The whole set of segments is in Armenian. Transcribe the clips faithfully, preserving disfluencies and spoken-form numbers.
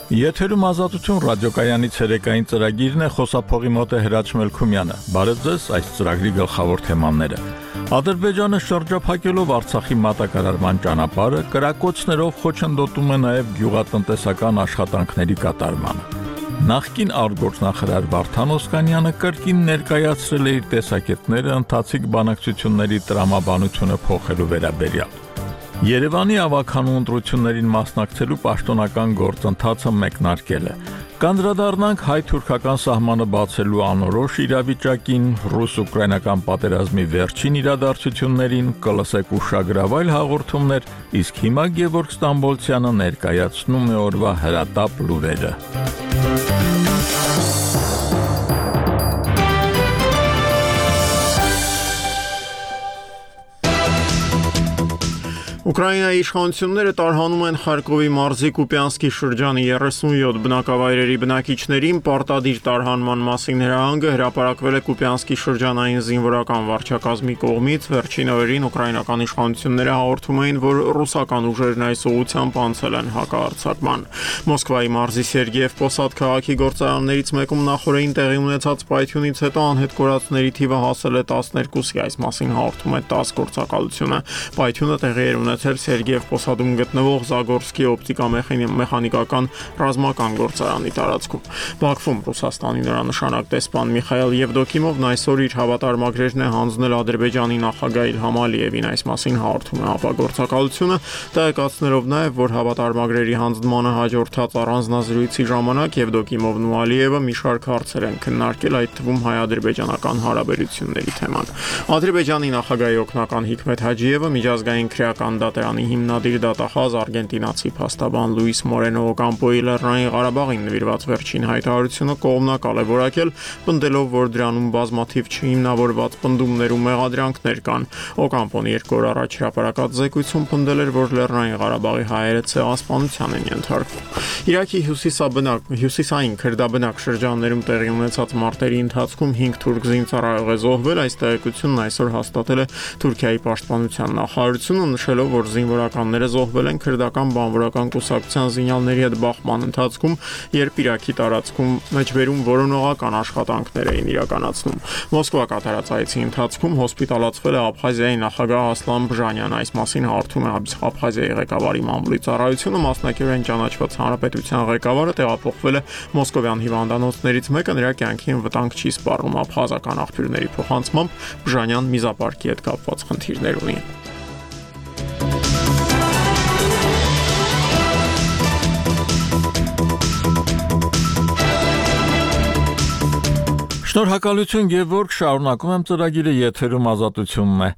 Եթերում ազատություն ռադիոկայանի ցերեկային ծրագիրն է, խոսափողի մոտ է Հրաչ Մելքումյանը։ Բարև ձեզ, այս ծրագրի գլխավոր թեմաները։ Ադրբեջանը շրջափակելով Արցախի մատակարարման ճանապարհը, կրակոցներով խոչընդոտում է նաև գյուղատնտեսական աշխատանքների կատարմանը։ Նախկին արտգործնախարար Վարդան Օսկանյանը կրկին ներկայացրել է իր տեսակետները ընթացիկ բանակցությունների տրամաբանությունը փոխելու վերաբերյալ։ Երևանի ավագանու ընտրություններին մասնակցելու պաշտոնական գործընթացը մեկնարկել է։ Կանդրադառնանք հայ-թուրքական սահմանը բացելու անորոշ իրավիճակին, ռուս-ուկրաինական պատերազմի վերջին իրադարձություններին, կլսեք ուշագրավ այլ հաղորդումներ, իսկ հիմա Գևորգ Ստամբոլցյանը ներկայացնում է օրվա հրատապ լուրերը։ Ուկրաինայի իշխանությունները տարհանում են Խարկովի մարզի Կուպյանսկի շրջանի երեսունյոթ բնակավայրերի բնակիչներին պարտադիր տարհանման մասին հրահանգը հրապարակվել է Կուպյանսկի շրջանային զինվորական վարչակազմի կողմից։ Վերջին օրերին ուկրաինական իշխանությունները հաղորդում էին, որ ռուսական ուժերն այս ուղղությամբ անցել են հակահարձակման։ Մոսկվայի մարզի Սերգեև Պոսադ քաղաքի գործարաններից մեկում նախորդին տեղի ունեցած պայթյունից հետո անհետ կորածների թիվը հասել է տասներկուսի, այս մասին հաղորդում է ՏԱՍՍ գործակալությունը։ Պայթյունը տեղի էր ունեցել Սերգեև Պոսադում գտնվող Զագորսկի օպտիկամեխանիկական ռազմական գործարանի տարածքում։ Բաքվում Ռուսաստանի նորանշանակ դեսպան Միխայել Եվդոկիմովն այսօր իր հավատարմագրերն է հանձնել Ադրբեջանի նախագահ Իլհամ Ալիևին, այս մասին հաղորդում է ԱՊԱ գործակալությունը, տեղեկացնելով նաև, որ հավատարմագրերի հանձնմանը հաջորդած առանձնազրույցի ժամանակ Եվդոկիմովն ու Ալիևը մի շարք հարցեր են քննարկել, այդ թվում հայ-ադրբեջանական հարաբերությունների թեման։ Ադրբեջանի նախագահի օգնական Հիկմեթ Հաջիևը միջազգային քրեական դատարանի հիմնադիր դատախազ արգենտինացի փաստաբան Լուիս Մորենո Օկամպոյի Լեռնային Ղարաբաղին նվիրված վերջին հայտարարությունը կողմնակալ է որակել, պնդելով, որ դրանում բազմաթիվ չհիմնավորված պնդումներ ու մեղադրանքներ կան։ Օկամպոն երկու օր առաջ հրապարակած զեկույցում պնդել էր, որ Լեռնային Ղարաբաղի հայերը ցեղասպանության են ենթարկվում։ Իրաքի հյուսիսաբնակ հյուսիսային քրդաբնակ շրջաններում տեղի ունեցած մարտերի ընթացքում հինգ թուրք զինծառայող է զոհվել, այս տեղեկությունն այսօր հաստատել է Թուրքիայի պաշտպանության նախարարությունը, նշելով, որ զինվորականները զոհվել են քրդական բանվորական կուսակցության զինյալների հետ բախման ընթացքում, երբ Իրաքի տարածքում մեջբերում որոնողական աշխատանքներ էին իրականացնում։ Մոսկվա կատարած այցի ընթացքում հոսպիտալացվել է Աբխազիայի նախագահ Ասլան Բժանյան, այս մասին հաղորդում է Աբխազիայի ղեկավարի մամուլի ծառայությունը, մասնակիորեն ճանաչված հանրապետության ղեկավարը տեղափոխվել է մոսկովյան հիվանդանոցներից մեկը, նրա կյանքին վտանգ չի սպառնում։ Աբխազական աղբյուրների փոխանցմամբ Բժանյան միզապարկի հետ կապված խնդիրներ ունի։ Շնորհակալություն Գևորգ, շարունակում եմ ծրագիրը, եթերում ազատությունն է։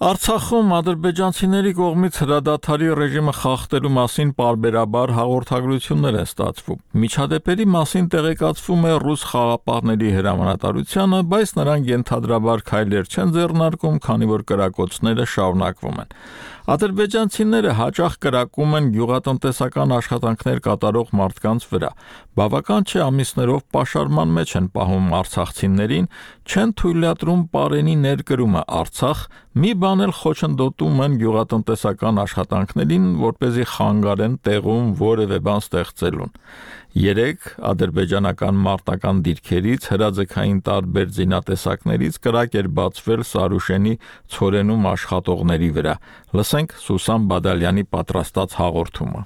Արցախում ադրբեջանցիների կողմից հրադադարի ռեժիմը խախտելու մասին պարբերաբար հաղորդագրություններ են ստացվում։ Միջադեպերի մասին տեղեկացվում է ռուս խաղապահների հրամանատարությանը, բայց նրանք ենթադրաբար քայլեր չեն ձեռնարկում, քանի որ կրակոցները շարունակվում են։ Ադրբեջանցիները հաճախ կրակում են գյուղատնտեսական աշխատանքներ կատարող մարդկանց վրա։ Բավական չէ ամիսներով պաշարման մեջ են պահում արցախցիներին, չեն թույլատրում պարենի ներկրումը Արցախ, մի բան էլ խոչընդոտում են գյուղատնտեսական աշխատանքներին, որպեսզի խանգարեն տեղում որևէ բան ստեղծելուն։ Երեք ադրբեջանական մարտական դիրքերից հրաձգային տարբեր զինատեսակներից կրակ էր բացվել Սարուշենի ցորենում աշխատողների վրա։ Լսենք Սուսան Բադալյանի պատրաստած հաղորդումը։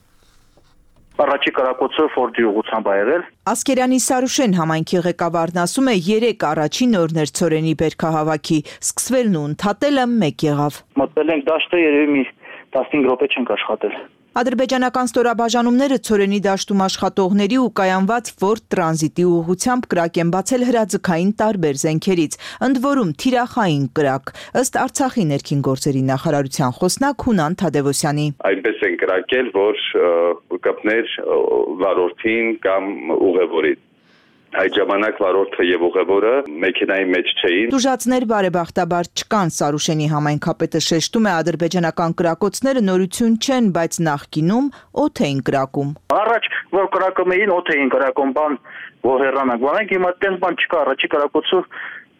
Առաջի կրակոցը Ֆորդի ուղղությամբ ա եղել։ Ասկերյանի Սարուշեն համայնքի ղեկավարն ասում է, երեք առաջին օրն էր ցորենի բերքահավաքի, սկսվելն ու ընդհատելը մեկ եղավ։ Մտել ենք դաշտը, երևի մի տասնհինգ րոպե չենք աշխատել։ Ադրբեջանական ստորաբաժանումները ցորենի դաշտում աշխատողների ու կայանված Ֆորդ տրանզիտի ուղղությամբ կրակ են բացել հրաձգային տարբեր զենքերից, ընդ որում թիրախային կրակ, ըստ Արցախի ներքին գործերի նախարարության խոսնակ Հունան Թադևոսյանի։ Այնպես են կրակել, որ կպներ վարորդին կամ ուղևորին։ Այդ ժամանակ վարորդը եւ ուղևորը մեքենայի մեջ չէին։ Տուժածներ բարեբախտաբար չկան, Սարուշենի համայնքապետը շեշտում է, ադրբեջանական կրակոցները նորություն չեն, բայց նախկինում օդ էին կրակում։ Առաջ որ կրակում էին, օդ էին կրակում, բան որ հեռանանք, բանենք հիմա այդպես բան չկա, առաջի կրակոցը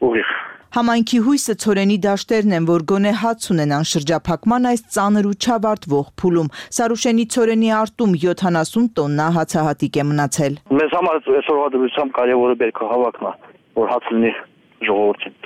ուղիղ։ Համայնքի հույսը ցորենի դաշտերն են, որ գոնե հաց ունենան շրջափակման այս ծանր ու չավարտվող փուլում։ Սարուշենի ցորենի արտում յոթանասուն տոննա հացահատիկ է մնացել։ Մեզ համար այսօրվա դրությամբ կարևորը բերքահավաքն է, որ հաց լինի ժողովրդին։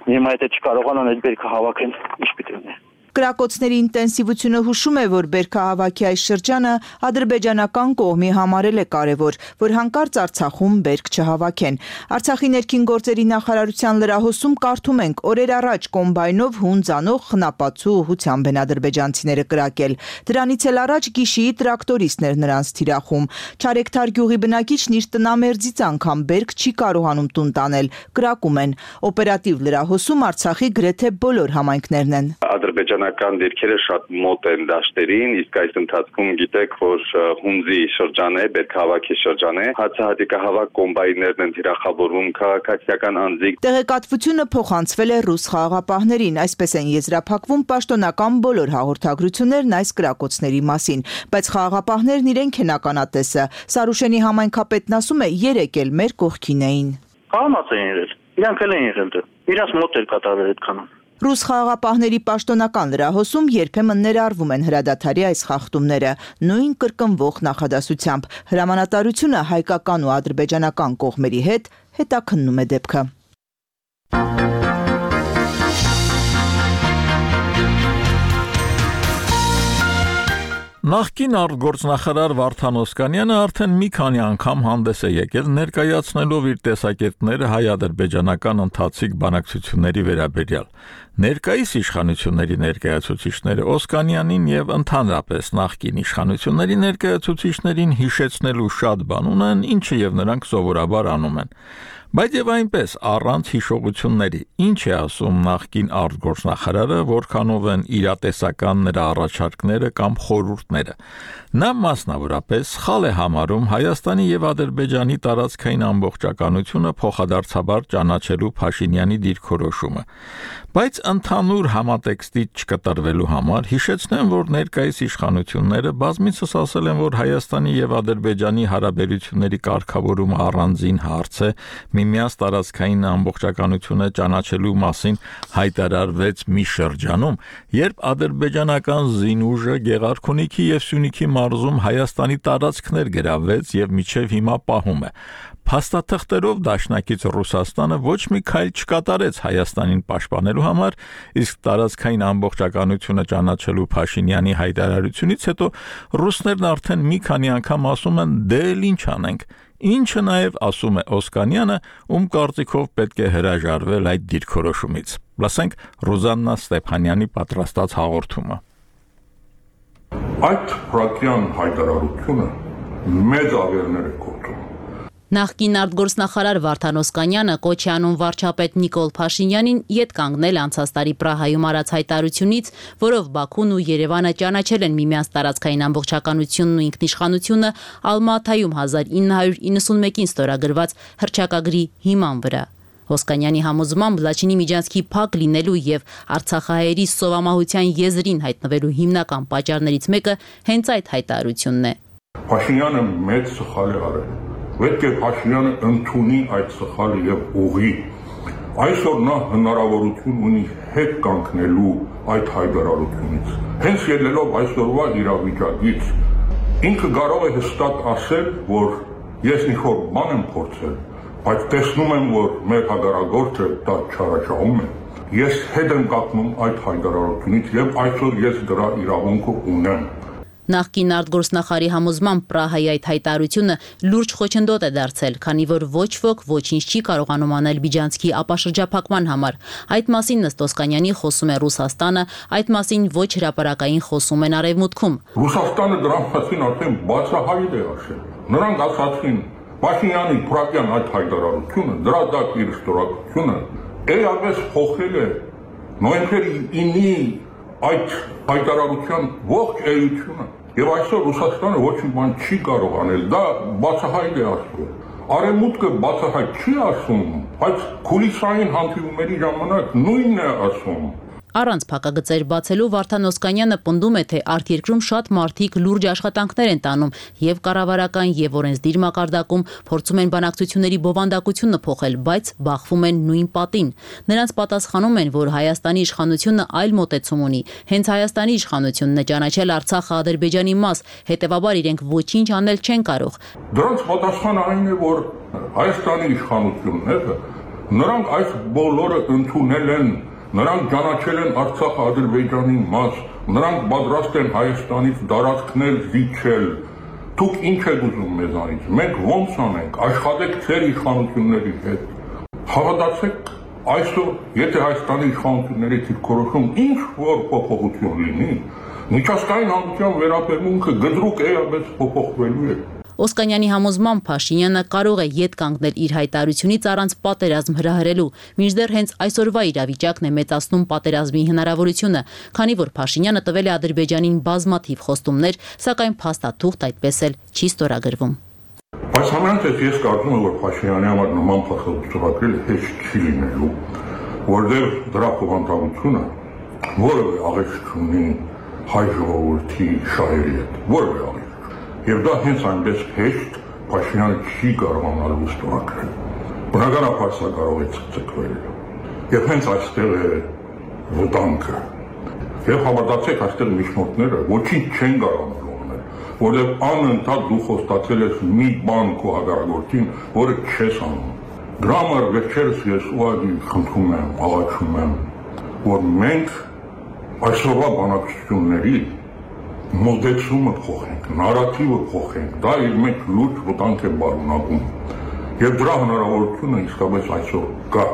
Հիմա եթե չկարողանան այդ բերքը հավաքեն, ինչ պիտի լինի։ Կրակոցների ինտենսիվությունը հուշում է, որ բերքահավաքի այս շրջանը ադրբեջանական կողմի համարել է կարևոր, որ հանկարծ Արցախում բերք չհավաքեն։ Արցախի ներքին գործերի նախարարության լրահոսում կարդում ենք, օրեր առաջ կոմբայնով հուն ձանող խնապացու ուղղությամբ են ադրբեջանցիները կրակել։ Դրանից էլ առաջ գիշիի տրակտորիստներ նրանց թիրախում։ Չարեկթար գյուղի բնակիչն իր տնամերձից անգամ բերք չի կարողանում տուն տանել, կրակում են։ Օպերատիվ լրահոսում Արցախի գրեթե բոլոր համայնքներն են։ Ադրբեջանական դիրքերը շատ մոտ են դաշտերին, իսկ այս ընթացքում գիտեք, որ հունձի շրջան է, բերքահավաքի շրջան է, հացահատիկահավաք կոմբայներն են թիրախավորվում քաղաքացիական անձիկ։ Տեղեկատվությունը փոխանցվել է ռուս խաղաղապահներին, այսպես են եզրափակվում պաշտոնական բոլոր հաղորդագրություններն այս կրակոցների մասին, բայց խաղաղապահներն իրենք են ականատեսը։ Սարուշենի համայնքապետն ասում է, երեք էլ մեր կողքին էին։ Կանաց էին իրենց, իրանք էլ էին իրենց, իրանց մոտ էր կատարվել այդքան։ Ռուս խաղաղապահների պաշտոնական լրահոսում երբեմն ներառվում են հրադադարի այս խախտումները, նույն կրկնվող նախադասությամբ։ Հրամանատարությունը հայկական ու ադրբեջանական կողմերի հետ հետաքննում է դեպքը։ Նախկին արտգործնախարար Վարդան Օսկանյանը արդեն մի քանի անգամ հանդես է եկել ներկայացնելով իր տեսակետները հայ-ադրբեջանական ընթացիկ բանակցությունների վերաբերյալ։ Ներկայիս իշխանությունների ներկայացուցիչները Օսկանյանին եւ ընդհանրապես նախկին իշխանությունների ներկայացուցիչներին հիշեցնելու շատ բան ունեն, ինչը եւ նրանք սովորաբար անում են։ Բայց եւ այնպես առանց հիշողությունների ինչ է ասում նախկին արտգործնախարարը, որքանով են իրատեսական նրա առաջարկները կամ խորհուրդները։ Նա մասնավորապես սխալ է համարում Հայաստանի եւ Ադրբեջանի տարածքային ամբողջականությունը փոխադարձաբար ճանաչելու Փաշինյանի դիրքորոշումը։ Բայց ընդհանուր համատեքստից չկտրվելու համար հիշեցնեմ, որ ներկայիս իշխանությունները բազմիցս ասել են, որ Հայաստանի եւ Ադրբեջանի հարաբերությունների կարգավորումը առանձին հարց է, միմյանց տարածքային ամբողջականությունը ճանաչելու մասին հայտարարվեց մի շրջանում, երբ ադրբեջանական զինուժը Գեղարքունիքի եւ Սյունիքի մարզում Հայաստանի տարածքներ գրավեց եւ մինչեւ հիմա պահում է։ Փաստաթղթերով դաշնակից Ռուսաստանը ոչ մի քայլ չկատարեց Հայաստանին պաշտպանելու համար, իսկ տարածքային ամբողջականությունը ճանաչելու Փաշինյանի հայտարարությունից հետո ռուսներն արդեն մի քանի անգամ ասում են՝ դե ինչ անենք։ Ինչը նաև ասում է Օսկանյանը, ում կարծիքով պետք է հրաժարվել այդ դիրքորոշումից։ Լսենք Ռուզաննա Ստեփանյանի պատրաստած հաղորդումը։ Այդ փրկյան հայտարարությունը մեծ ավերներ է կոչում։ Նախկին արտգործնախարար Վարդան Օսկանյանը կոչ է անում վարչապետ Նիկոլ Փաշինյանին ետ կանգնել անցած տարի Պրահայում արած հայտարարությունից, որով Բաքուն ու Երևանը ճանաչել են միմյանց տարածքային ամբողջականությունն ու ինքնիշխանությունը Ալմատայում հազար ինը հարյուր իննսունմեկին ստորագրված հռչակագրի հիման վրա։ Օսկանյանի համոզմամբ Լաչինի միջանցքի փակ լինելու եւ Արցախահայերի սովամահության եզրին հայտնվելու հիմնական պատճառներից մեկը հենց այդ հայտարարությունն է։ Փաշինյանը մեծ սխալ է արել։ Պետք է Փաշինյանը ընդունի այդ սխալը եւ ուղի։ Այսօր նա հնարավորություն ունի հետ կանգնելու այդ հայտարարությունից։ Հենց ելնելով այսօրվա իրավիճակից, ինքը կարող է հստակ ասել, որ ես ինչ-որ բան եմ փորձել, բայց տեսնում եմ, որ մեր հագարագործը դա չարաշահում է։ Ես հետ եմ կանգնում այդ հայտարարությունից եւ այսօր ես դրա իրավունքը ունեմ։ Նախկին արտգործնախարարի համոզմամբ Պրահայի այդ հայտարարությունը լուրջ խոչընդոտ է դարձել, քանի որ ոչ ոք ոչինչ չի կարողանում անել Բիջանցքի ապաշրջափակման համար։ Այդ մասին ըստ Օսկանյանի խոսում է Ռուսաստանը, այդ մասին ոչ հրապարակային խոսում են Արևմուտքում։ Ռուսաստանը դրա մասին արդեն բացահայտ է ասել։ Նրանք ասացին Փաշինյանի փրկյան այդ հայտարարությունը, դրա դակ իր ստորագրությունը էապես փոխել է նոյեմբերի ինի այդ հայտարարության ողջ էությունը։ Եվ այսօր Ռուսաստանը ոչ մի բան չի կարող անել, դա բացահայտ է ասում։ Արևմուտքը բացահայտ չի ասում, բայց քուլիսային հանդիպումների ժամանակ նույնն է ասում։ Առանց փակագծեր բացելու Վարդան Օսկանյանը պնդում է, թե արտերկրում շատ մարդիկ լուրջ աշխատանքներ են տանում եւ կառավարական եւ օրենսդիր մակարդակում փորձում են բանակցությունների բովանդակությունը փոխել, բայց բախվում են նույն պատին։ Նրանց պատասխանում են, որ Հայաստանի իշխանությունը այլ մոտեցում ունի։ Հենց Հայաստանի իշխանությունն է ճանաչել Արցախը Ադրբեջանի մաս, հետեւաբար իրենք ոչինչ անել չեն կարող։ Դրանց պատասխանը այն է, որ Հայաստանի իշխանությունները նրանք այս բոլորը ընդունել են, նրանք ճանաչել են Արցախը Ադրբեջանի մաս, նրանք պատրաստ են Հայաստանից տարածքներ զիջել։ Դուք ինչ եք ուզում մեզանից։ Մենք ո՞նց անենք, աշխատեք ձեր իշխանությունների հետ։ Հավատացեք, այսօր, եթե Հայաստանի իշխանությունների դիրքորոշում ինչ որ փոփոխություն լինի, միջազգային հանրության վերաբերմունքը գդրուկ էապես փոփոխվելու է։ Օսկանյանի համոզմամբ Փաշինյանը կարող է ետ կանգնել իր հայտարարությունից առանց պատերազմ հրահրելու, մինչդեռ հենց այսօրվա իրավիճակն է մեծացնում պատերազմի հնարավորությունը, քանի որ Փաշինյանը տվել է Ադրբեջանին բազմաթիվ խոստումներ, սակայն փաստաթուղթ այդպես էլ չի ստորագրվում։ Բայց համենայնիվ ես կարծում եմ, որ Փաշինյանի համար նման փաստաթուղթը հեշտ չի լինելու, որտեղ դրա բովանդակությունը որևէ աղետ չունի հայ ժողովրդի շահերի հետ, որևէ աղետ։ Եվ դա հենց այնպես հեշտ Փաշինյանը չի կարողանալու ստորագրել։ Բնականաբար սա կարող է ցկցկվել։ Եվ հենց այստեղ է վտանգը։ Եվ հավատացեք, այստեղ միջնորդները ոչինչ չեն կարողանալու անել, որովհետև անընդհատ դու խոստացել ես մի բան քո հակառակորդին, որը չես անում։ Դրա համար վերջերս ես ուղղակի խնդրում եմ, աղաչում եմ, որ մենք այսօրվա բանակցությունների մոդեցումը փոխենք, նարատիվը փոխենք, դա իր մեջ լուրջ վտանգ է բարունակում, եւ դրա հնարավորությունը իսկապես այսօր կա։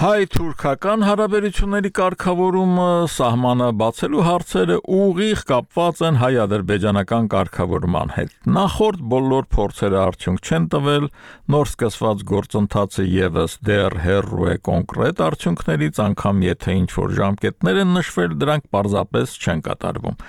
Հայ-թուրքական հարաբերությունների կարգավորումը սահմանը բացելու հարցերը ուղիղ կապված են հայ-ադրբեջանական կարգավորման հետ։ Նախորդ բոլոր փորձերը արդյունք չեն տվել, նոր սկսված գործընթացը եւս դեռ հեռու է կոնկրետ արդյունքներից, անգամ եթե ինչ-որ ժամկետներ են նշվել, դրանք պարզապես չեն կատարվում։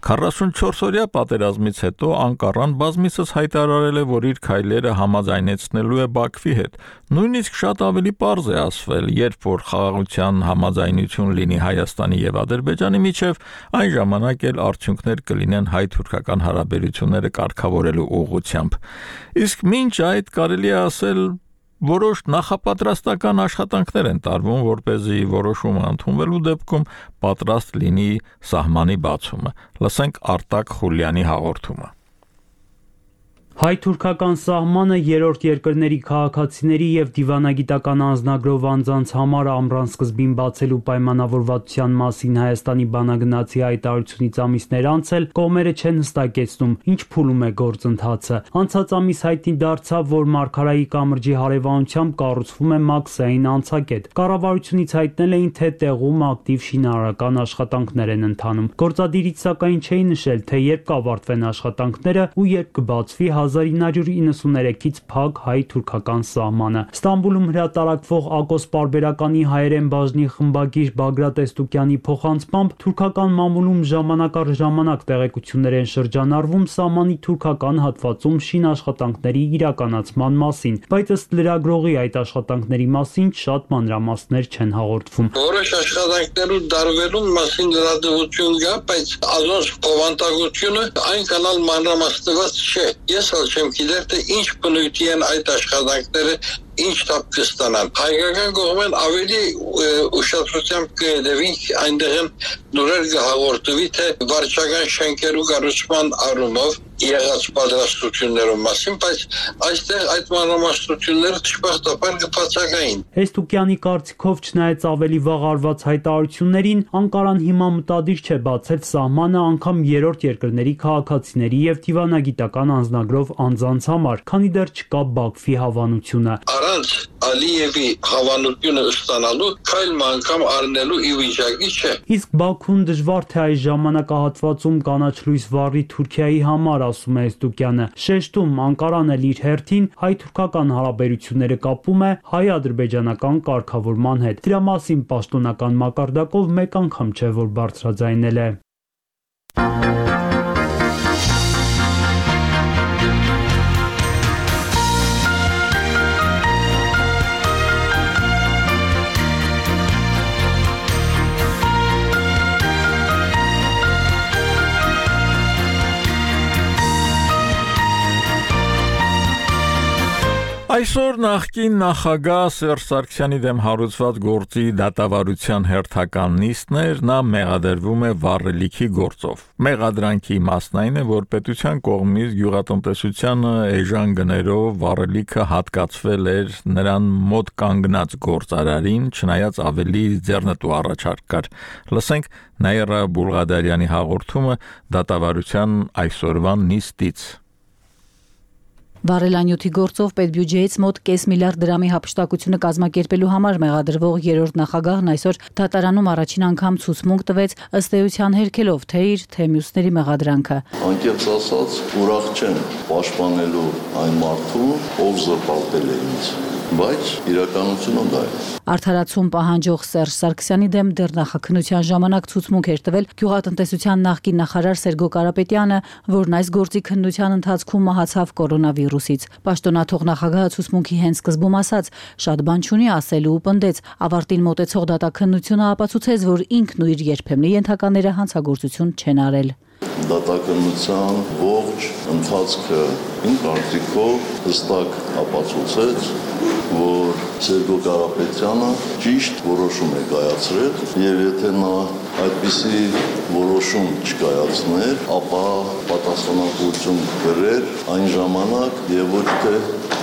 քառասունչորս-օրյա պատերազմից հետո Անկարան բազմիցս հայտարարել է, որ իր քայլերը համաձայնեցնելու է Բաքվի հետ։ Նույնիսկ շատ ավելի պարզ է ասվել, երբ որ խաղաղության համաձայնություն լինի Հայաստանի եւ Ադրբեջանի միջև, այն ժամանակ էլ արդյունքներ կլինեն հայ-թուրքական հարաբերությունները կարգավորելու ուղղությամբ։ Իսկ մինչ այդ կարելի է ասել, որոշ նախապատրաստական աշխատանքներ են տարվում, որպեսզի որոշումը ընդունվելու դեպքում պատրաստ լինի սահմանի բացումը։ Լսենք Արտակ Խուլյանի հաղորդումը։ Հայ-թուրքական սահմանը երրորդ երկրների քաղաքացիների եւ դիվանագիտական անձնագրով անձանց համար ամռան սկզբին բացելու պայմանավորվածության մասին Հայաստանի բանագնացի հայտարարությունից ամիսներ անց էլ կողմերը չեն հստակեցնում, ինչ փուլում է գործընթացը։ Անցած ամիս հայտնի դարձավ, որ Մարգարայի կամրջի հարևանությամբ կառուցվում է մաքսային անցակետ։ Կառավարությունից հայտնել էին, թե տեղում ակտիվ շինարարական աշխատանքներ են ընթանում։ Գործադիրից սակայն չէի նշել, թե երբ կավարտվեն աշխատանքները ու երբ կբացվի հազար ինը հարյուր իննսուններեքից փակ հայ-թուրքական սահմանը։ Ստամբուլում հրատարակվող Ակոս պարբերականի հայերեն բաժնի խմբագիր Բագրատ Էստուկյանի փոխանցմամբ թուրքական մամուլում ժամանակ առ ժամանակ տեղեկություններ են շրջանառվում սահմանի թուրքական հատվածում շինաշխատանքների իրականացման մասին, բայց ըստ լրագրողի այդ աշխատանքների մասին շատ մանրամասներ չեն հաղորդվում։ Որոշ աշխատանքներու դարվելու մասին լրատվություն կա, բայց ազոս բովանդակությունը այնքան մանրամասնված չէ։ Ես չեմ գիտեր, թե ինչ բնույթի են այդ աշխատանքները, ինչ տապ կստանան։ Հայկական կողմեն ավելի ուշադրությամբ կհետևին այնտեղ նորեր կհաղորդվի, թե վարչական շենքերու կառուցման առումով եղած պատրաստություններով մասին, բայց այստեղ այդ մանրամասնությունները դժբախտաբար կբացակային։ Էստուկյանի կարծիքով չնայած ավելի վաղ արված հայտարարություններին, Անկարան հիմա մտադիր չէ բացել սահմանը անգամ երրորդ երկրների քաղաքացիների եւ դիվանագիտական անձնագրով անձանց համար, քանի դեռ չկա Բաքվի հավանությունը։ Առանց Ալիևի հավանությունը ստանալու քայլ անգամ առնելու ի վիճակի չէ։ Իսկ Բաքուն դժվար թե այս ժամանակահատվածում կանաչ լույս վառի Թուրքիայի համար, ասում է Էստուկյանը։ Շեշտում Անկարան էլ իր հերթին հայ-թուրքական հարաբերությունները կապում է հայ-ադրբեջանական կարգավորման հետ։ Դրա մասին պաշտոնական մակարդակով մեկ անգամ չէ, որ բարձրաձայնել է։ Այսօր նախկին նախագահ Սերժ Սարգսյանի դեմ հարուցված գործի դատավարության հերթական նիստն էր, նա մեղադրվում է վառելիքի գործով։ Մեղադրանքի մասն այն է, որ պետության կողմից գյուղատնտեսությանը էժան գներով վառելիքը հատկացվել էր նրան մոտ կանգնած գործարարին, չնայած ավելի ձեռնտու առաջարկ կար։ Լսենք Նաիրա Բուլղադարյանի հաղորդումը դատավարության այսօրվա նիստից։ Վառելանյութի գործով պետբյուջեից մոտ կես միլիարդ դրամի հափշտակությունը կազմակերպելու համար մեղադրվող երրորդ նախագահն այսօր դատարանում առաջին անգամ ցուցմունք տվեց ըստ էության հերքելով թե իր, թե մյուսների մեղադրանքը։ Անկեղծ ասած, ուրախ չեմ պաշտպանելու այն մարդուն, ով զրպարտել է ինձ, բայց իրականությունը դա է։ Արդարացում պահանջող Սերժ Սարգսյանի դեմ դեռ նախաքննության ժամանակ ցուցմունք էր տվել գյուղատնտեսության նախկին նախարար Սերգո Կարապետյանը, որն այս գործի քննության ընթացքում մահացավ կորոնավիրուսից։ Պաշտոնաթող նախագահը ցուցմունքի հենց սկզբում ասաց, շատ բան չունի ասելու ու պնդեց, ավարտին մոտեցող դատաքննությունը ապացուցեց, որ ինքն ու իր երբեմնի ենթակաները հանցագործություն չեն արել։ Դատաքննության ողջ ընթացքը իմ կարծիքով հստակ ապացուցեց, որ Սերգո Կարապետյանը ճիշտ որոշում է կայացրել, եւ եթե նա այդպիսի որոշում չկայացներ, ապա պատասխանատվություն կրեր այն ժամանակ եւ ոչ թե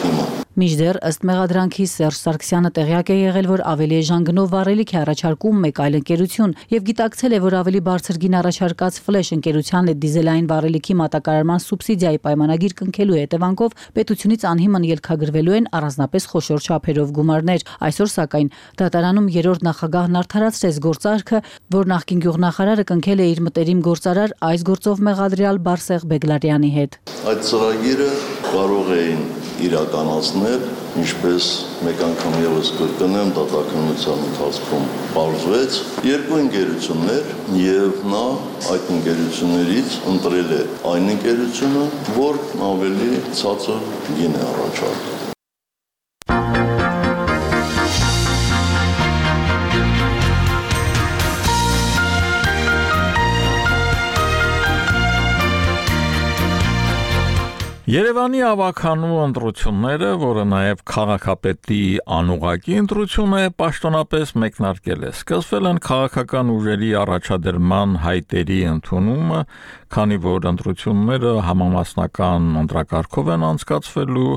հիմա։ Մինչդեռ ըստ մեղադրանքի Սերժ Սարգսյանը տեղյակ է եղել, որ ավելի էժան գնով վառելիք է առաջարկում մեկ այլ ընկերություն եւ գիտակցել է, որ ավելի բարձր գին առաջարկած Ֆլեշ ընկերության հետ դիզելային վառելիքի մատակարարման սուբսիդիայի պայմանագիր կնքելու հետևանքով պետությունից անհիմն ելքագրվելու են առանձնապես խոշոր չափերով գումարներ։ Այսօր սակայն դատարանում երրորդ նախագահն արդարացրեց գործարքը, որ նախկին գյուղնախարարը կնքել է իր մտերիմ գործարար այս գործով մեղադրյալ Բարսեղ Բեգլարյանի հետ։ Այդ ծրագիրը կարող էին իրականացնել, ինչպես մեկ անգամ եւս կրկնեմ, դատաքննության ընթացքում բարձվեց երկու ընկերություններ եւ նա այդ ընկերություններից ընտրել է այն ընկերությունը, որ ավելի ցածր գին է առաջարկել։ Երևանի ավականու ընտրությունները, որը նաև քաղաքապետի անուղղակի ընտրություն է, պաշտոնապես մեկնարկել է։ Սկսվել են քաղաքական ուժերի առաջադրման հայտերի ընդունումը, քանի որ ընտրությունները համամասնական ընտրակարգով են անցկացվելու,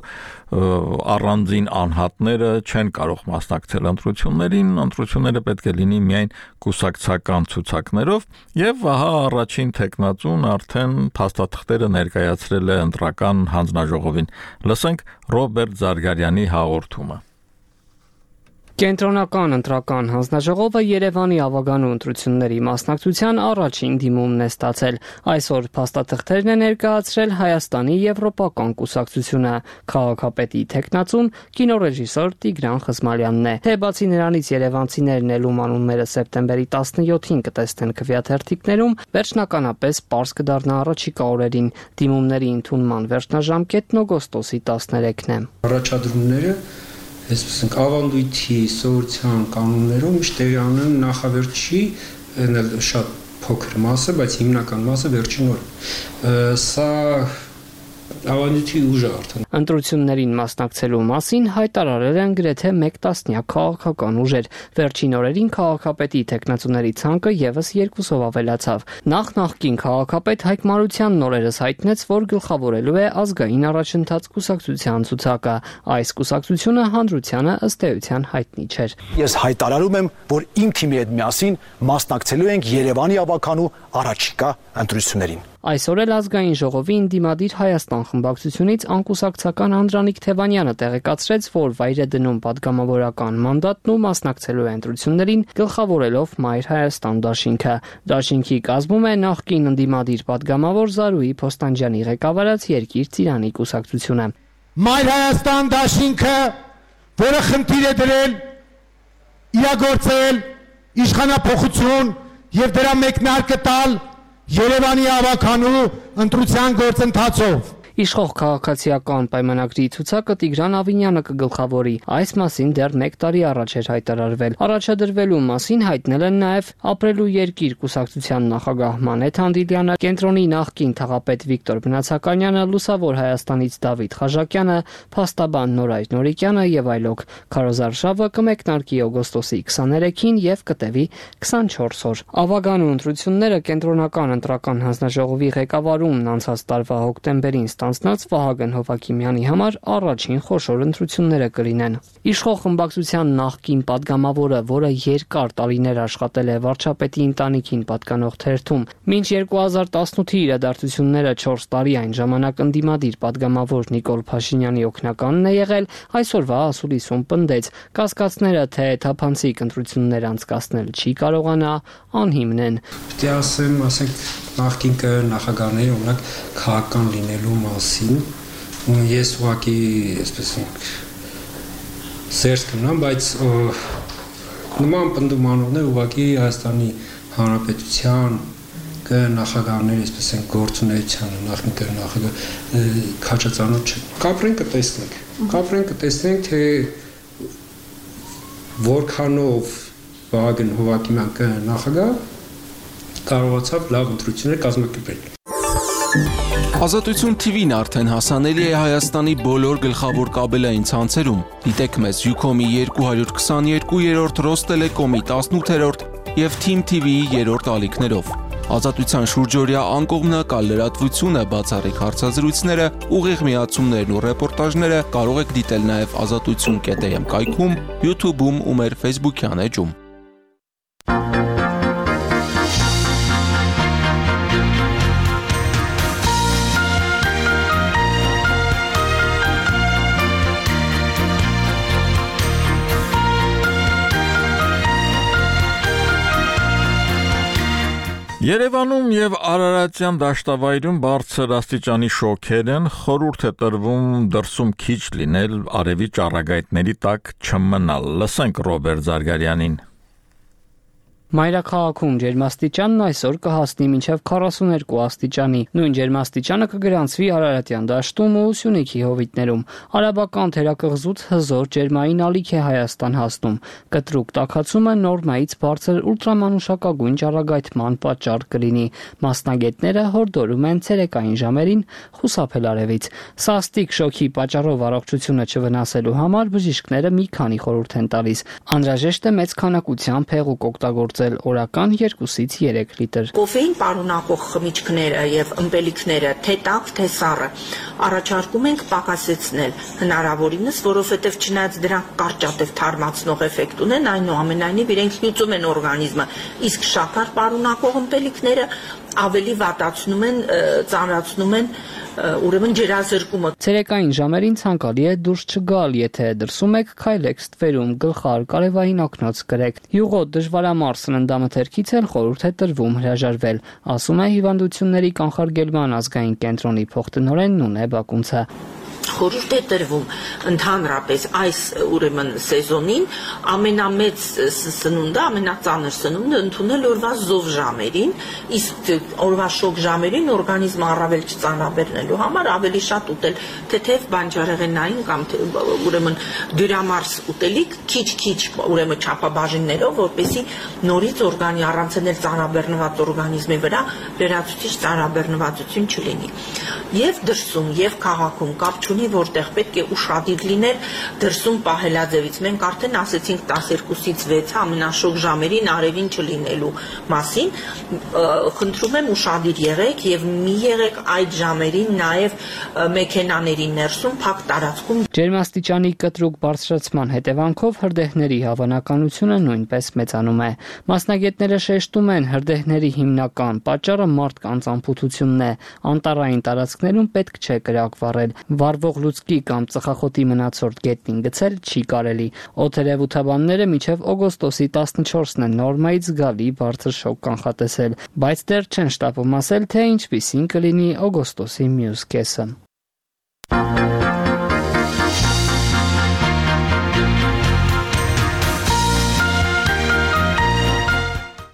առանձին անհատները չեն կարող մասնակցել ընտրություններին, ընտրությունները պետք է լինի միայն կուսակցական ցուցակներով, եւ ահա առաջին տեխնացուն արդեն փաստաթղթերը ներկայացրել է ընտրական հանձնաժողովին։ Լսենք Ռոբերտ Զարգարյանի հաղորդումը։ Կենտրոնական ընտրական հանձնաժողովը Երևանի ավագանու ընտրությունների մասնակցության առաջին դիմումն է ստացել։ Այսօր փաստաթղթերն է ներկայացրել Հայաստանի Եվրոպական կուսակցությունը, քաղաքապետի տեխնացուն կինոռեժիսոր Տիգրան Խզմալյանն է։ Թե բացի նրանից երևանցիներն էլ ում անունները սեպտեմբերի տասնյոթին կտեսնեն քվեաթերթիկներում, վերջնականապես պարզ կդառնա առաջիկա օրերին։ Դիմումների ընդունման վերջնաժամկետն օգոստոսի տասներեքն է։ Առաջադրումները այսպես ավանդույթի սովորության կանոններով միշտ տեղի ունեն նախավերջի շատ փոքր մասը, բայց հիմնական մասը վերջին օրը։ Սա ավանդույթի ուժ է արդեն։ Ընտրություններին մասնակցելու մասին հայտարարել են գրեթե մեկ տասնյակ քաղաքական ուժեր։ Վերջին օրերին քաղաքապետի տեխնացուների ցանկը եւս երկուսով ավելացավ։ Նախ նախկին քաղաքապետ Հայկ Մարությանն օրերս հայտնեց, որ գլխավորելու է ազգային առաջընթաց կուսակցության ցուցակը։ Այս կուսակցությունը հանրությանը ըստ էության հայտնի չէր։ Ես հայտարարում եմ, որ իմ թիմի հետ միասին մասնակցելու ենք Երևանի ավականու առաջիկա ընտրություններին։ Այսօր էլ ազգային ժողովի ընդդիմադիր Հայաստան խմբակցությունից անկուսակցական Անդրանիկ Թևանյանը տեղեկացրեց, որ վայր է դնում падգամավորական մանդատն ու մասնակցելու է ընտրություններին, գլխավորելով Մայր Հայաստան դաշինքը։ Դաշինքի կազմում է նախկին ընդդիմադիր падգամավոր Զարուհի Փոստանջյանի ղեկավարած Երկիր Ծիրանի կուսակցությունը։ Մայր Հայաստան դաշինքը, որը խնդիր է դրել իրագործել իշխանափոխություն եւ դրա մեկնարկը տալ Երևանի ավականու ընտրության գործընթացով։ Իշխող քաղաքացիական պայմանագրի ցուցակը Տիգրան Ավինյանը կգլխավորի։ Այս մասին դեռ մեկ տարի առաջ էր հայտարարվել։ Առաջադրվելու մասին հայտնել են նաև Ապրելու երկիր կուսակցության նախագահ Մանեթ Հանդիլյանը, կենտրոնի նախկին թաղապետ Վիկտոր Բնացականյանը, Լուսավոր Հայաստանից Դավիթ Խաժակյանը, փաստաբան Նորայր Նորիկյանը եւ այլոք։ Քարոզարշավը կմեկնարկի օգոստոսի քսաներեքին եւ կտևի քսանչորս օր։ Ավագանու ընտրությունները կենտրոնական ընտրական հանձնաժողովի ղեկավարումն անցած տարվա հոկտեմբերին ստանձնած Վահագն Հովակիմյանի համար առաջին խոշոր ընտրությունները կլինեն։ Իշխող խմբակցության նախկին падգամավորը, որը երկար տարիներ աշխատել է վարչապետի ընտանիքին պատկանող թերթում, մինչ երկու հազար տասնութի իրադարձությունները չորս տարի այն ժամանակ ընդդիմադիր падգամավոր Նիկոլ Փաշինյանի օգնականն է եղել, այսօրվա ասուլիսում պնդեց, կասկածները, թե թափանցիկ ընտրություններ անցկացնել չի կարողանա, անհիմն են։ Պետք է ասեմ, ասենք նախկին նախագահների օրինակ քաղաքական լինելու մասին, ես ուղղակի, այսպես սերտ կնամ, բայց նման պնդումանողներ ուղղակի Հայաստանի Հանրապետության նախագահների, այսպես են գործունեությանը, նախնի նախագահ քաջածանոթ չեն։ Կապրեն կտեսնենք, կապրեն կտեսնենք, թե որքանով Վահագն Հովակիմյան նախագահ կարողացավ լավ ընտրություններ կազմակերպել։ Ազատություն թի վին արդեն հասանելի է Հայաստանի բոլոր գլխավոր կաբելային ցանցերում։ Դիտեք մեզ Յուքոմի երկու հարյուր քսաներկու, Ռոստելեկոմի տասնութերորդ եւ Թիմ թի վիի երրորդ ալիքներով։ Ազատության շուրջօրյա անկողմնակալ լրատվությունը, բացառիկ հարցազրույցները, ուղիղ միացումներն ու ռեպորտաժները կարող եք դիտել նաև ազատություն կետ էմ կայքում, YouTube-ում ու մեր Facebook-յան էջում։ Երևանում եւ Արարատյան դաշտավայրում բարձր աստիճանի շոքեր են, խորհուրդ է տրվում դրսում քիչ լինել, արևի ճառագայթների տակ չմնալ։ Լսենք Ռոբերտ Զարգարյանին։ Մայրաքաղաքում ջերմաստիճանն այսօր կհասնի մինչև քառասուներկու աստիճանի։ Նույն ջերմաստիճանը կգրանցվի Արարատյան դաշտում ու Սյունիքի հովիտներում։ Արաբական թերակղզուց հզոր ջերմային ալիք է Հայաստան հասնում։ Կտրուկ տաքացումը նորմայից բարձր ուլտրամանուշակագույն ճառագայթման պատճառ կլինի։ Մասնագետները հորդորում են ցերեկային ժամերին խուսափել արևից։ Սաստիկ շոկի պատճառով առողջությունը չվնասելու համար բժիշկները մի քանի խորհուրդ են տալիս։ Անհրաժեշտ է մեծ քանակությամբ հեղուկ օգտագործել օրական երկուսից երեք լիտր։ Կոֆեին պարունակող խմիչքները եւ ըմպելիքները, թե տաք, թե սառը, առաջարկում ենք պակասեցնել հնարավորինս, որովհետեւ չնայած դրանք կարճատև թարմացնող էֆեկտ ունեն, այնուամենայնիվ իրենք լուծում են օրգանիզմը, իսկ շաքար պարունակող ըմպելիքները ավելի վատացնում են, ծանրացնում են ուրեմն ջերազրկումը։ Ցերեկային ժամերին ցանկալի է դուրս չգալ, եթե դրսում եք, քայլեք ստվերում, գլխար, կարևային օգնոց կրեք։ Յուղոտ դժվարամարս սննդամթերքից էլ խորհուրդ է տրվում հրաժարվել, ասում է հիվանդությունների կանխարգելման ազգային կենտրոնի փոխտնօրեն Նունե Բակունցը։ Խորհուրդ է տրվում ընդհանրապես այս ուրեմն սեզոնին ամենամեծ սնունդը, ամենածանր սնունդը ընդունել օրվա զով ժամերին, իսկ օրվա շոգ ժամերին օրգանիզմը առավել չծանրաբեռնելու համար ավելի շատ ուտել թեթև բանջարեղենային կամ ուրեմն դյուրամարս ուտելիք, քիչ-քիչ ուրեմն չափաբաժիններով, որպեսզի նորից օրգանի առանցնել ծանրաբեռնված օրգանիզմի վրա լրացուցիչ ծանրաբեռնվածություն չլինի։ Եվ դրսում, եւ քաղաքում կապ չունի, որտեղ պետք է ուշադիր լինել դրսում պահելաձևից։ Մենք արդեն ասեցինք տասներկուսից վեցը ամենաշոգ ժամերին արևին չլինելու մասին։ Խնդրում եմ ուշադիր եղեք եւ մի եղեք այդ ժամերին նաեւ մեքենաների ներսում փակ տարածքում։ Ջերմաստիճանի կտրուկ բարձրացման հետևանքով հրդեհների հավանականությունը նույնպես մեծանում է։ Մասնագետները շեշտում են, հրդեհների հիմնական պատճառը մարդկանց անփութությունն է։ Անտառային տարածքներում պետք չէ կրակ վառել։ Վառվող լուցկի կամ ծխախոտի մնացորդ գետնին գցել չի կարելի։ Օդերևութաբանները մինչև օգոստոսի տասնչորսն են նորմայից զգալի բարձր շոկ կանխատեսել, բայց դեռ չեն շտապում ասել, թե ինչպիսին կլինի օգոստոսի մյուս կեսը։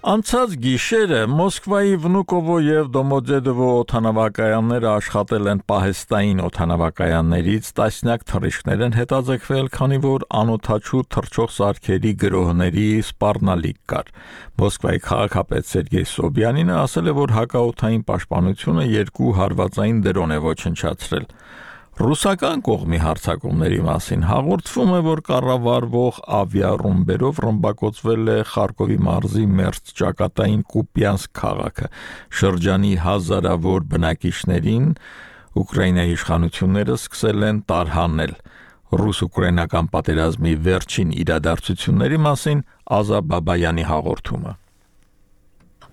Անցած գիշերը Մոսկվայի Վնուկովո եւ Դոմոդեդովո օդանավակայանները աշխատել են պահեստային օդանավակայաններից, տասնյակ թռիչքներ են հետաձգվել, քանի որ անօդաչու թռչող սարքերի գրոհների սպառնալիք կար։ Մոսկվայի քաղաքապետ Սերգեյ Սոբյանինը ասել է, որ հակաօդային պաշտպանությունը երկու հարվածային դրոն է ոչնչացրել։ Ռուսական կողմի հարձակումների մասին հաղորդվում է, որ կառավարվող ավիառումբերով ռմբակոծվել է Խարկովի մարզի մերձ ճակատային Կուպյանսկ քաղաքը։ Շրջանի հազարավոր բնակիչներին Ուկրաինայի իշխանությունները սկսել են տարհանել։ Ռուս-ուկրաինական պատերազմի վերջին իրադարձությունների մասին Ազա Բաբայանի հաղորդումը։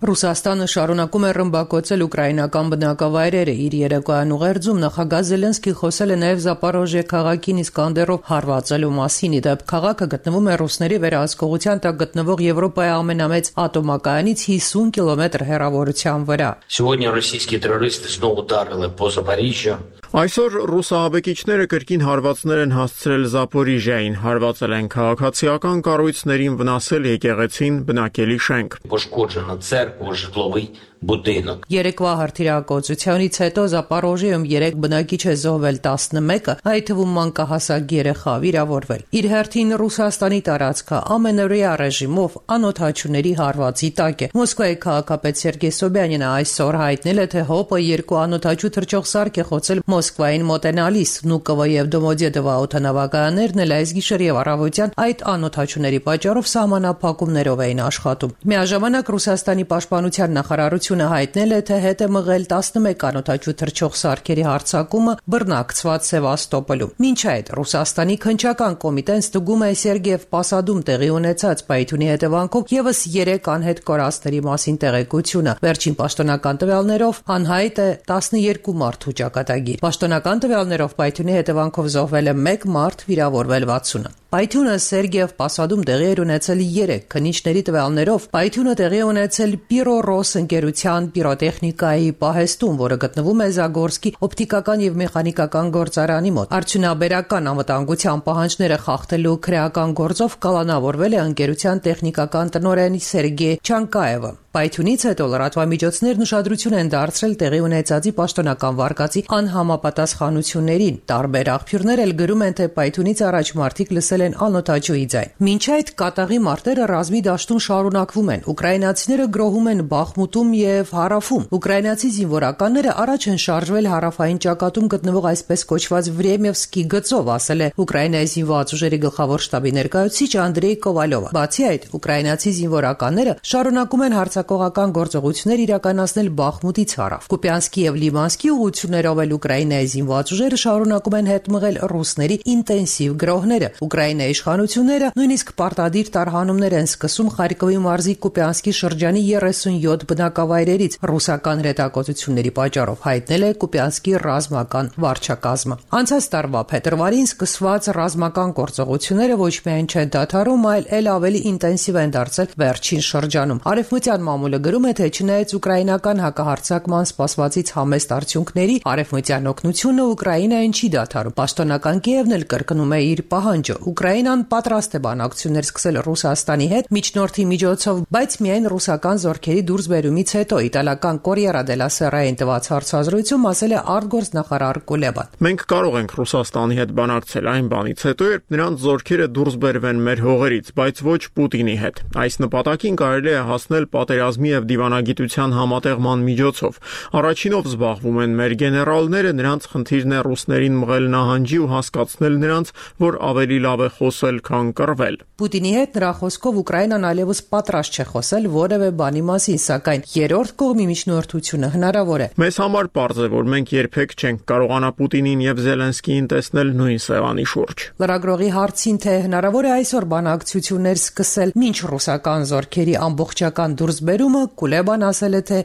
Ռուսաստանը շարունակում է ռմբակոծել ուկրաինական բնակավայրերը։ Իր երեկոյան ուղերձում նախագահ Զելենսկին խոսել է նաև Զապորոժիե քաղաքին Իսկանդերով հարվածելու մասին։ Իդեպ քաղաքը գտնվում է ռուսների վերահսկողության տակ գտնվող Եվրոպայի ամենամեծ ատոմակայանից հիսուն կիլոմետր հեռավորության վրա։ Сегодня российские террористы снова ударили по Запоріжжю. Այսօր ռուս ահաբեկիչները կրկին հարվածներ են հասցրել Զապորիժիային, հարվածել են քաղաքացիական կառույցներին, վնասել եկեղեցին, բնակելի շենք։ Пошкоджена церква, житловий будинок. Երեկվա հրթիռակոծությունից հետո Զապորոժիում երեք բնակիչ է զոհվել, տասնմեկը, այդ թվում մանկահասակ երեխա վիրավորվել։ Իր հերթին Ռուսաստանի տարածքը ամենօրյա ռեժիմով անօդաչուների հարվածի տակ է։ Մոսկվայի քաղաքապետ Սերգեյ Սոբյանինը այսօր հայտնել է, թե ՀՕՊ-ը երկու անօդաչու թռչող սարք է խոցել Մոսկվային մոտենալիս։ Վնուկովո եւ Դոմոդեդովո օդանավակայաններն էլ այս գիշեր եւ առավոտյան այդ անօդաչուների պատճառով սահմանափակումներով էին աշխատում։ Միաժամանակ Ռուսաստանի պաշտպանության նախարարությունը հայտնել է, թե հետ է մղել տասնմեկ անօդաչու թռչող սարքերի հարձակումը բռնակցված Սևաստոպոլում։ Մինչ այդ Ռուսաստանի քննչական կոմիտեն ստուգում է Սերգեև Պասադում տեղի ունեցած պայթյունի հետևանքով եւս երեք անհետ կորածների մասին տեղեկությունը։ Վերջին պաշտոնական տվյալներով անհայտ է տասնյոթ մարդու ճակատագիր։ Պաշտոնական տվյալներով պայթյունի հետևանքով զոհվել է մեկ մարդ, վիրավորվել վաթսունը։ Պայթյունը Սերգեև Պասադում տեղի էր ունեցել երեք քննիչների տվյալներով։ Պայթյունը տեղի է ունեցել Պիրոռոս ընկերության պիրոտեխնիկայի պահեստում, որը գտնվում է Զագորսկի օպտիկական եւ մեխանիկական գործարանի մոտ։ Արդյունաբերական անվտանգության պահանջները խախտելու քրեական գործով կալանավորվել է ընկերության տեխնիկական տնօրեն Սերգեյ Չանկաևը։ Պայթյունից հետո լրատվամիջոցներն ուշադրություն են դարձրել տեղի ունեցածի պաշտոնական վարկածի անհամապատասխանություններին։ Տարբեր աղբյուրներ էլ գրում են, թե պայթյունից առաջ մարդիկ լսել են անօդաչուի ձայն։ Մինչ այդ կատաղի մարտերը ռազմի դաշտում շարունակվում են։ Ուկրաինացիները գրոհում են Բախմուտում եւ Հարավում։ Ուկրաինացի զինվորականները առաջ են շարժվել հարավային ճակատում գտնվող այսպես կոչված Վրեմևսկի գծով, ասել է Ուկրաինայի զինված ուժերի գլխավոր շտաբի ներկայացուցիչ Անդրեյ Կովալովը։ Բացի այդ, ուկրաինացի զինվորականները շարունակում են հարձակողական գործողություններ իրականացնել Բախմուտից հարավ։ Կուպյանսկի եւ Լիմանսկի ուղություններով էլ Ուկրաինայի զինված ուժերը շարունակում են հետ մղել ռուսների ինտենսիվ գրոհները։ Ուկրաինայի իշխանությունները նույնիսկ պարտադիր տարհանումներ են սկսում Խարկովի մարզի Կուպյանսկի շրջանի երեսունյոթ բնակավայրերից ռուսական հրետակոծությունների պատճառով, հայտնել է Կուպյանսկի ռազմական վարչակազմը։ Անցած տարվա փետրվարին սկսված ռազմական գործողությունները ոչ միայն չեն դադարում, այլ ել ավելի ինտենսիվ են դարձել վերջին շրջանում։ Արևմտյան մամուլը գրում է, թե չնայած ուկրաինական հակահարձակման սպասվածից համեստ արդյունքների, արևմտյան օգնությունը Ուկրաինային չի դադարում։ Պաշտոնական Կիևն էլ կրկնում է իր պահանջը։ Ուկրաինան պատրաստ է բանակցություններ սկսել Ռուսաստանի հետ միջնորդի միջոցով, բայց միայն ռուսական զորքերի դուրսբերումից հետո, իտալական Կորիերա դելա Սերային տված հարցազրույցում ասել է արտգործնախարար Կուլեբան։ Մենք կարող ենք Ռուսաստանի հետ բանակցել այն բանից հետո, երբ նրանց զորքերը դուրս բերվեն մեր հողերից, բայց ոչ Պուտինի հետ։ Այս նպատակին կարելի է հասնել պատերազմի եւ դիվանագիտության համատեղման միջոցով։ Առաջինով զբաղվում են մեր գեներալները, նրանց խնդիրն է ռուսներին մղել նահանջի ու հասկացնել նրանց, որ ավելի լավ է խոսել, քան կռվել։ Պուտինի հետ նրա խոսքով Ուկրաինան այլևս պատրաստ չէ խոսել որևէ բանի մասին, սակայն երրորդ կողմի միջնորդությունը հնարավոր է։ Մեզ համար պարզ է, որ մենք երբեք չենք կարողանա Պուտինին եւ Զելենսկիին տեսնել նույն սեղանի շուրջ։ Լրագրողի հարցին, թե հնարավոր է այսօր բանակցություններ սկսել մինչ ռուսական զորքերի ամբողջական դուրսբերումը, Կուլեբան ասել է, թե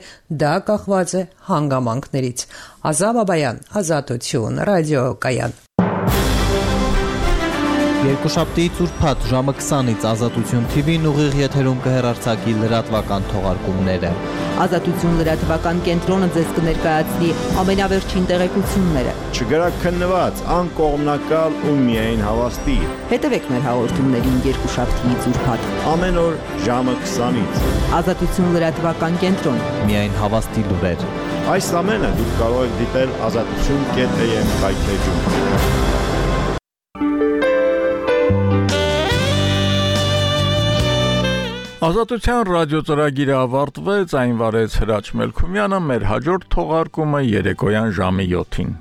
դա կախված է հանգամանքներից։ Ազա Բաբայան, Ազատություն, ռադիոկայան։ Երկուշաբթիից ուրբաթ ժամը քսանից Ազատություն Թի Վին ուղիղ եթերում կհեռարձակի լրատվական թողարկումները։ Ազատություն լրատվական կենտրոնը ձեզ կներկայացնի ամենավերջին տեղեկությունները։ Չգրակ քննված, անկողմնակալ ու միայն հավաստի։ Հետևեք մեր հաղորդումներին երկուշաբթիից ուրբաթ ամեն օր ժամը քսանից։ Ազատություն լրատվական կենտրոն։ Միայն հավաստի լուրեր։ Այս ամենը դուք կարող եք դիտել ազատություն կետ էյ էմ կայքէջում։ Ազատության ռադիո ծրագիրը ավարտվեց, այն վարեց Հրաչ Մելքումյանը, մեր հաջորդ թողարկումը երեկոյան ժամը յոթին։